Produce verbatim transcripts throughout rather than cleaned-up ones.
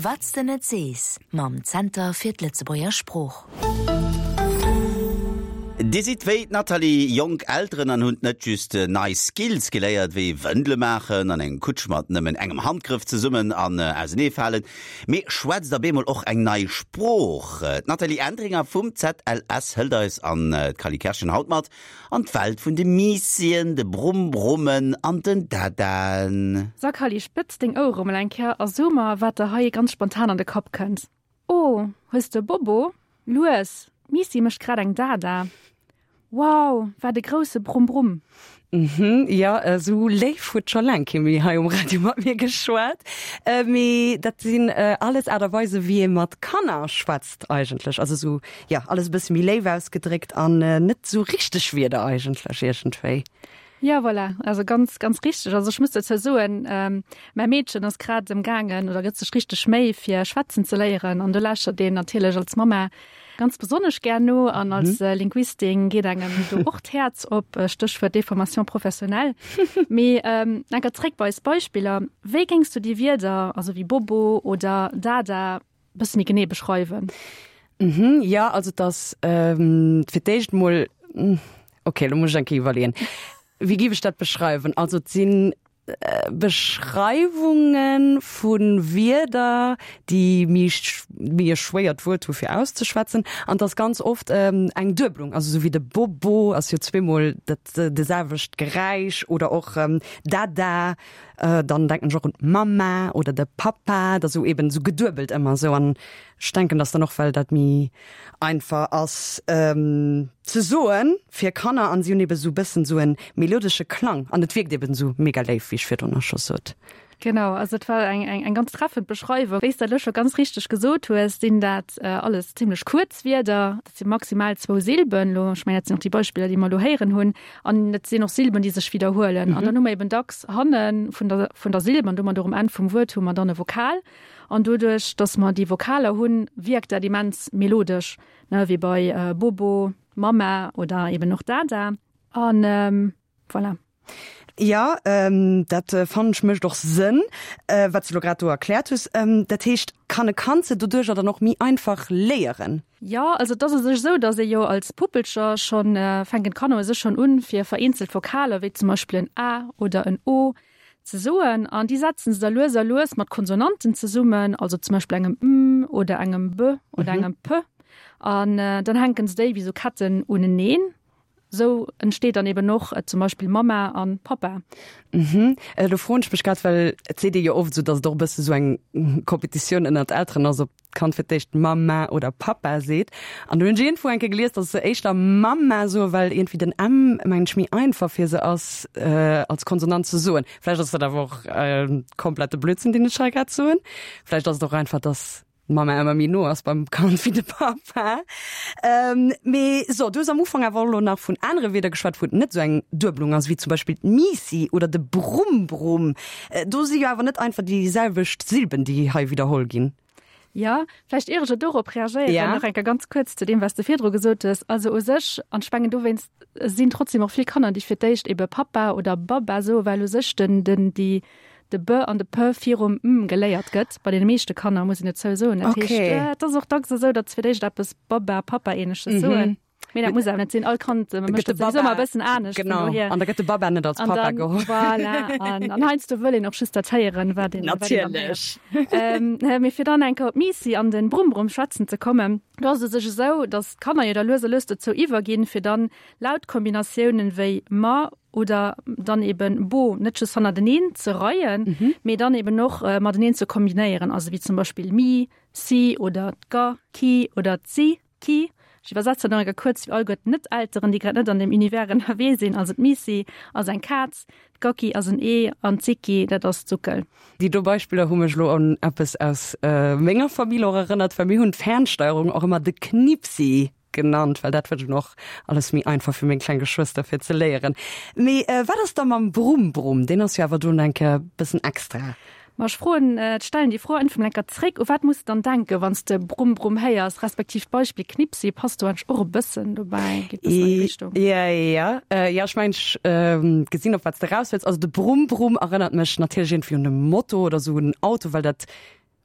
Wat s de net sees mam Zenter fir d'Lëtzebuerger Sprooch. Dir sidd wéi d'Nathalie jonk Elteren an hutt net just nei Skills geléiert, wéi Wëndele maachen an eng Kutsch mat nëmmen engem Handgrëff zesummen an auseneefalen, mee schwätzt op eemol och eng nei Sprooch. D'Nathalie Entringer vum ZLS hëlt eis an d'Cally Kerschen haut mat an d'Welt vun de Miissien, de Brumm-Brummen an den Dadaen. So Cally, spëtz deng Ouere mol eng Kéier a so mer, wat der hei ganz spontan an de Kapp kënnt. Oh, hues de Bobo? Lues, d'Miissi mécht grad eng Dada. Wow, wat e grousse Brumm-Brumm! Mhm, jo, esou léif huet scho laang kee méi hei um Radio mat mir geschwat. Mee dat sinn alles Aart a Weise wéi ee mat Kanner schwätzt eigentlech. Also esou, jo, alles e bësse méi léif ausgedréckt an net esou richteg Wierder eigentlech iergendwéi. Jo, voilà, also ganz, ganz richteg. Also ech muss dozou soen, mäi Meedchen ass grad emgaangen oder gëtt sech richteg Méi fir schwätzen ze léieren an do lauschtert een natierlech als Mamma ganz besonnesch gär no an als Linguistin geet engem do och d'Häerz op, Stéchwuert Déformation professionnelle. Mee enker zréck bei eis Beispiller, Wéi géings du déi Wierder, also wéi Bobo oder Dada, bësse méi genee beschreiwen? Mhm, jo, also et ass fir d'éischt mol, okay, lo muss ech eng Kéier iwwerleeën, wéi géif ech dat beschreiwen? Also et sinn Beschreiwunge vu Wierder, déi méi méi e schwéiert Wuert hu fir auszeschwätzen. An et ass ganz oft eng Duebelung, also esou wéi de Bobo ass jo zweemol dat de selwecht Geräisch oder och Dada, dann denken ech och un d'Mamma oder de Pappa, dat ass esou eben esou geduebelt ëmmer esou. An ech denken, dass dann och well dat méi einfach ass ze soen fir Kanner an si hunn eben esou bëssen esou en melodesche Klang an et wierkt eben esou mega léif, wéi ech virdrun och scho sot. Genau, also et war eng eng eng ganz treffend Beschreiwung. Wéi s de elo scho ganz richteg gesot hues, sinn dat alles zimlech kuerz Wierder. Dat si maximal zwou Silben elo, ech mengen dat sinn och déi Beispiller, déi mer elo héieren hunn, an et sinn och Silben, déi sech widderhuelen. An dann hu mer eben dacks hanne vun der vun der Silb an domat och um Enn vum Wuert hu mer dann e Vokal. An doduerch, dass mer déi Vokaler hunn, wierkt dat immens melodesch, ne, wéi bei Bobo, Mamma oder eben och Dada. An voilà. Jo, dat fannen ech mécht och Sënn, wat s de lo grad do erkläert hues. Dat heescht, kann e Kand se doduercher dann och méi einfach léieren? Jo, also et ass u sech esou, dass ee jo als Puppelcher schonn, fänken d'Kanner u sech schonn un, fir vereenzelt Vokaler, wéi zum Beispill en A oder en O, ze soen an déi setzen se da lues a lues mat Konsonanten zesummen, also zum Beispill engem m oder engem b oder engem p an dann hänken se déi wéi sou Ketten uneneen. Sou entsteet dann eben och zum Beispill Mamma an Pappa. Mhm. Do froen ech mech grad, well et seet ee jo oft esou, datt et och e bësse sou eng Kompetitioun ënnert Elteren ass, ob d'Kand fir d'éischt Mamma oder Pappa seet. An do hunn ech iergendwou eng Kéier gelies, datt se éischter Mamma soen, well iergendwéi den M, mengen ech, méi einfach fir se ass als Konsonant ze soen. Vläicht ass dat awer och komplette Blödsinn, deen ech hei grad soen. Vläicht ass et och einfach, datt d'Mamma ëmmer méi no ass beim Kand wéi de Pappa. Mee so, du hues am Ufank awer och elo nach vun anere Wierder geschwat, wou et net esou eng Duebelung ass, wéi zum Beispill d'Miissi oder de Brumm-Brumm. Do si jo awer net einfach déi selwecht Silben, déi hei widderholl ginn. Jo, vläicht ier ech elo dorop reagéieren, Ja. nach eng Kéier ganz kuerz zu deem, wat s de virdru gesot hues. Also u sech, an ech mengen dowéinst sinn trotzdem och vill Kanner, déi fir d'éischt ebe Pappa oder Babba soen, well u sech den, den, déi, de B an de P virum M geléiert gëtt, bei deene meeschte Kanner, muss een dozou soen. Dat heescht, Okay. et ass och dacks esou, datt se fir d'éischt eppes Babba, Pappa-Ähnleches soen. Mee dat muss awer net sinn. All Kand mécht dat souwisou ëmmer e bëssen anescht. Genau. An da gëtt de Baba net als Papa geholl. Voilà. An, an heiansdo wëll een och just dat héieren, wat een, wat een dann héiert. Natierlech. Mee fir dann eng Kéier op d'Miissi an den Brumm-Brumm schwätzen ze kommen, do ass et u sech esou, datt d'Kanner jo da lues a lues dozou iwwerginn, fir dann Lautkombinatiounen wéi ma oder dann eben bo net just hannerteneen ze reien, mee dann eben och mateneen ze kombinéieren, also wéi zum Beispill mi, si oder ga, ki oder zi. Ki, ech iwwersetzen nach eng Kéier kuerz fir alleguer d'Net-Elteren, déi grad net an deem Univers ënnerwee sinn, also d'Misi ass eng Kaz, d'Gaki ass en Ee an d'Siki, dat ass d'Suckel. Déi do Beispiller hu mech elo un eppes aus menger Famill och erënnert, well mir hunn d'Fernsteierung och ëmmer de Knipsi genannt, well dat war dunn och alles méi einfach fir meng kleng Geschwëster fir ze léieren. Mee wat ass da mam Brumm-Brumm? Deen ass jo awer do eng Kéier e bëssen extra. Ma ech froen, ech stellen déi Fro einfach mol eng Kéier zréck, U wat muss de dann denken, wann s de Brumm Brumm héiers, respektiv d'Beispill Knipsi passt do eigentlech och e bëssen dobäi, geet e bëssen an déi Richtung. Jo, jo, jo, ech mengen, ech gesinn, op wat s de eraus wëlls. Also de Brumm Brumm erënnert mech natierlech iergendwéi un e Moto oder esou en Auto, well dat,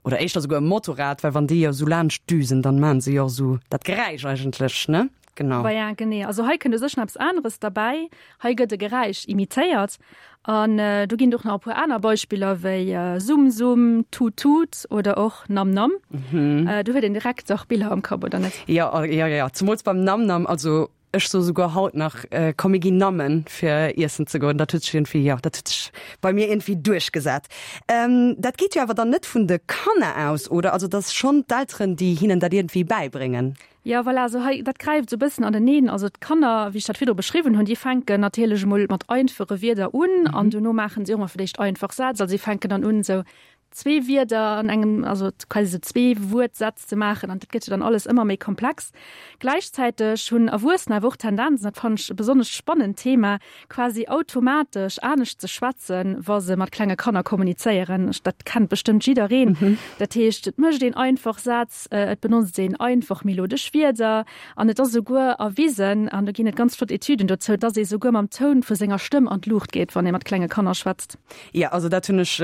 Oder éischter souguer e Motorrad, well wann déi jo sou laanscht düsen, dann maan se jo och sou dat Geräisch eigentlech, ne? Genau. Voilà, genee. Also hei kënnt u sech nach eppes aneres derbäi. Hei gëtt e Geräisch imitéiert. An do ginn et och nach e puer aner Beispiller wéi Summ Summ, Tut Tut oder och Nam Nam. Do huet een direkt och Biller am Kapp, oder net? Jo, jo, jo, zemools beim Nam Nam. Also ech soe souguer haut nach, komm mir ginn nammen fir iessen ze goen. Dat huet sech iergendwéi, jo, dat huet sech bei mir iergendwéi duerchgesat. Dat geet jo awer dann net vun de Kanner aus, oder? Also et ass schonn d'Elteren, déi hinnen dat iergendwéi bäibréngen. Jo, voilà, also hei, dat gräift esou e bëssen aneneen. Also d'Kanner, wéi ech dat virdru beschriwwen hunn, déi fänken natierlech emol mat einfache Wierder un an duerno maachen si och emol fir d'éischt einfach Sätz. Also si fänken dann un, esou zwee Wierder an engem, also quasi esou Zwee-Wuert-Sätz ze maachen an dat gëtt jo dann alles ëmmer méi komplex. Gläichzäiteg hunn Erwuessener awer och d'Tendenz, an dat fannen ech e besonnesch spannend Thema, quasi automatesch anescht ze schwätzen, wa se mat klenge Kanner kommunizéieren. Dat kennt bestëmmt jiddereen. Dat heescht, et mécht een einfach Sätz, et benotzt een einfach melodesch Wierder an et ass esouguer erwisen, an do ginn et ganz flott Etüden dozou, dass ee souguer mam Toun vu senger Stëmm an d'Luucht geet, wann ee mat klenge Kanner schwätzt. Jo, also dat hunn ech,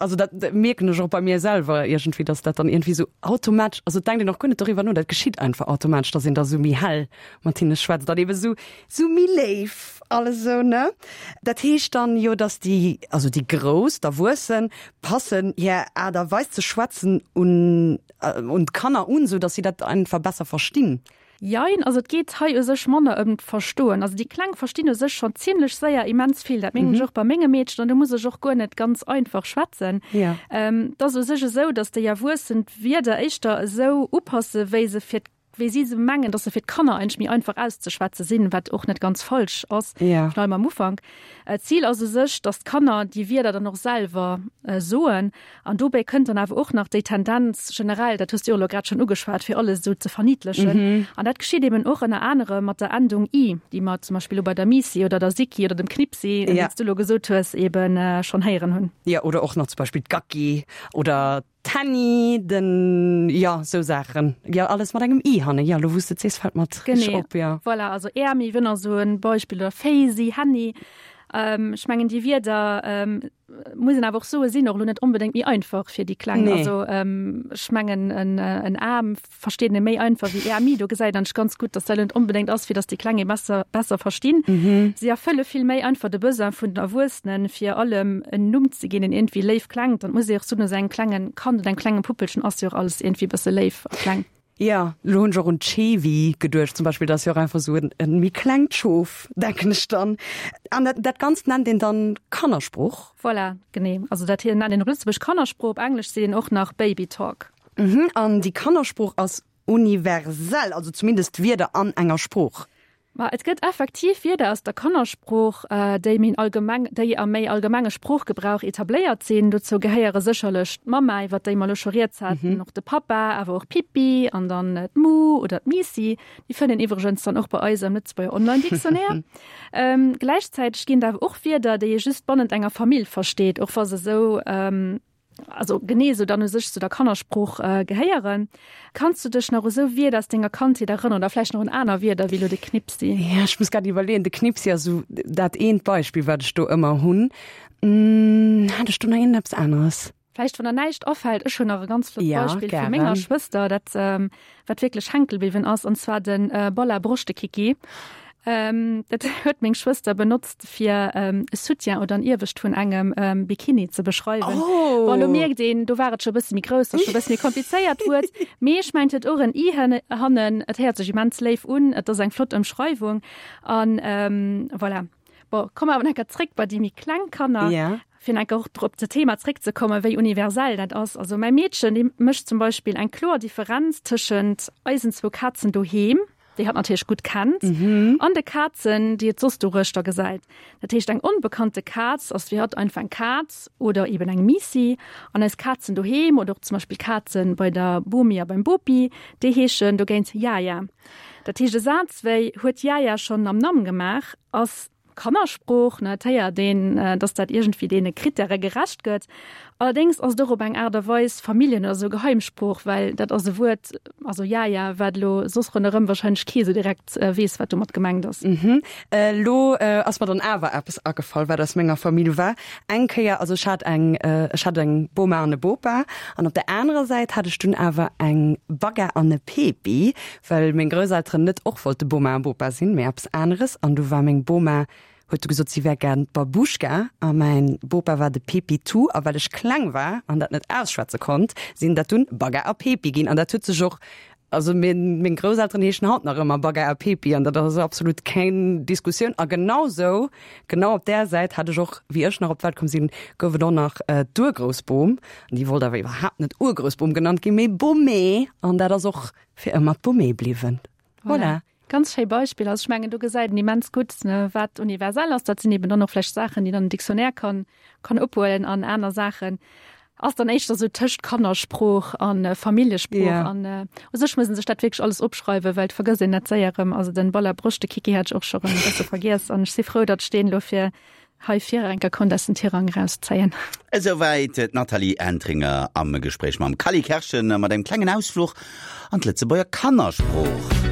also dat mierken ech och bei mir selwer iergendwéi, dass dat dann iergendwéi sou automatesch, also et denkt een och guer net doriwwer no, dat geschitt einfach automatesch, dass een da sou méi hell mat hinne schwätzt an ebe sou, sou méi léif alles sou, ne? Dat heescht dann jo, dass déi, also déi Grouss, d'Erwuessen, passen hir Aart a Weis ze schwätzen un, un d'Kanner un, sou dass si dat einfach besser verstinn. Jein, also et geet hei u sech manner ëm d'Verstoen. Also déi Kleng verstinn u sech schonn zimlech séier immens vill. Dat mierken ech och bei menge Meedchen an do muss ech och guer net ganz einfach schwätzen. Et ass u sech esou, datt déi Erwuessen d'Wierder éischter esou upasse wéi se fir, wéi si se mengen, datt se fir d'Kanner eigentlech méi einfach auszeschwätze sinn, wat och net ganz falsch ass, virun allem am Ufank. D'Zil ass u sech, datt d'Kanner déi Wierder dann och selwer soen. An dobäi kënnt dann awer och nach déi Tendenz generell, dat hues du jo elo grad schonn ugeschwat, fir alles esou ze verniddlechen. An dat geschitt eben och ënner anerem mat der Endung i, déi mer zum Beispill elo bei der Miissi oder der Sicki oder dem Knipsi, wéi s du elo gesot hues, eben schonn héieren hunn. Jo, oder och nach zum Beispill d'Gacki oder d'Hänni, den, jo, esou Saachen. Jo, alles mat engem i hannen. Jo, elo wou s de et sees, fält mer et richteg op, jo. Genee, voilà, also Äermi wier nach esou e Beispill oder Féisi, Hänni. Ech mengen déi Wierder muss een awer och soe sinn och elo net onbedéngt méi einfach fir déi Kleng. Nee. Also ech mengen en en Aarm versteet ee méi einfach wéi Äermi. Do gesäit een ganz gutt, datt dat net onbedéngt ass, fir datt déi Kleng ee besser besser verstinn. Si erfëlle vill méi einfach de Besoin vun den Erwuessenen, fir allem en Numm ze ginn, deen iergendwéi léif klengt. An et muss ee och soen, esou engem klengen Kand oder engem klengen Puppelchen ass jo och alles iergendwéi e bësse léif a kleng. Jo, lo hunn ech och un d'Schewi geduecht zum Beispill, dat ass jo och einfach esou en en méi klengt Schof, denken ech dann. An dat dat Ganzt nennt een dann Kannersprooch? Voilà, genee. Also dat hier nennt een op Lëtzebuerg Kannersprooch, op Englesch seet een och nach Baby Talk. Mhm, an déi Kannersprooch ass universell, also zumindest d'Wierder an enger Sprooch? Ma et gëtt effektiv Wierder aus der Kannersprooch, déi méi allgemeng, déi am méi allgemenge Sproochgebrauch etabléiert sinn. Dozou gehéiere sécherlech d'Mamma, iwwer déi mer elo scho rieds haten, och de Pappa, awer och Pippi an dann d'Mu oder d'Miissi. Déi fënnt een iwwregens dann och bei eis am Lëtzebuerger Online-Dictionnaire. Gläichzäiteg ginn et awer och Wierder, déi ee just bannent enger Famill versteet, och wa se esou, also genee esou dann u sech zu der Kannersprooch gehéieren. Kanns du dech nach u sou Wierder aus denger Kandheet erënneren oder vläicht nach un aner Wierder wéi elo de Knipsi? Ja, ech muss grad iwwerleeën. De Knipsi ass esou dat eent Beispill, wat ech do ëmmer hunn. Hat ech do nach iergendeppes aneres? Vläicht, wann der näischt afält, ech hunn nach e ganz flott Ja, Beispill vu menger gären. Schwëster, dat wat wierklech hänke bliwwen ass, an zwar de Balla Broschtekicki. Dat huet meng Schwëster benotzt fir e Soutien oder en Iewescht vun engem Bikini ze beschreiwen. Oh! Bon, elo mierkt een, do war et scho e bësse méi grouss, ass scho e bësse méi komplizéiert Wuert. Mee ech mengen, et huet och en i hannen. Et héiert sech immens léif un, et ass eng flott Ëmschreiwung an voilà. Bon, komme mer awer nach eng Kéier zréck bei déi méi kleng Kanner. Ja. Fir nach eng Kéier och op dat Thema zréckzekommen, wéi universell dat ass. Also mäi Meedchen, dee mécht zum Beispill eng kloer Differenz tëschent eisen zwou Kazen doheem, déi hatt natierlech gutt kennt, an de Kazen, déi et soss doruechter gesäit. Dat heescht, eng onbekannte Kaz ass fir hatt einfach eng Kaz oder eben eng Miissi. An eis Kazen doheem oder och zum Beispill Kaze bei der Bomi a beim Bopi, déi heeschen dogéint Jaja. Dat heescht, e Saz wéi Huet d'Jaja schonn Namnam gemaach? ass Kannersprooch, ne, et héiert een, dass dat iergendwéi deene Krittäre gerecht gëtt. Allerdéngs ass et och op eng Aart a Weis Familljen oder sou Geheimsprooch, well dat ass e Wuert, also Jaja, wat elo soss ronderëm warscheinlech kee sou direkt weess, wat domat gemengt ass. Mhm. Elo ass mer dann awer eppes agefall, wat aus menger Famill war. Eng Kéier, also ech hat eng, ech hat eng Boma an e Bopa an op der anerer Säit hat ech dunn awer eng Bagga an e Pepi, well meng Grousselteren net och wollte Boma a Bopa sinn, mee eppes aneres. An du war meng Boma huet du gesot, si wär gär d'Babuschka a mäin Bopa war de Pepi Tu. A well ech kleng war an dat net ausschwätze konnt, sinn dat dunn Bagga a Pepi ginn. An dat huet sech och, also meng Grousselteren heeschen haut nach ëmmer Bagga a Pepi an dat ass absolut keng Diskussioun. A genau sou, genau op där Säit hat ech och, wéi ech nach op d'Welt komm sinn, gouf et och nach d'Urgroussbom. An déi wollt awer iwwerhaapt net Urgroussbom genannt ginn, mee Bomé. An dat ass och fir ëmmer d'Bomé bliwwen. Voilà. Ganz schéi Beispiller. Also ech mengen, do gesäit een immens gutt, wat universell ass. Dat sinn eben dann och vläicht Saachen, déi dann en Dictionnaire kann, kann ophuelen an aner Saachen ass dann éischter sou tëscht Kannersprooch a Familljesprooch. Yeah. An äh, u sech muss een sech dat wierklech alles opschreiwen, well et vergësst een dat séier erëm. Also den Baller Broscht, de Kiki hat ech och scho rëm e bësse vergiess an ech si frou, datt ech deen elo fir hei fir enker konnt aus den Tirang erauszéien. Esouwäit d'Nathalie Entringer am Gespréich mam Cally Kerschen mat engem klengen Ausfluch an d'Lëtzebuerger Kannersprooch.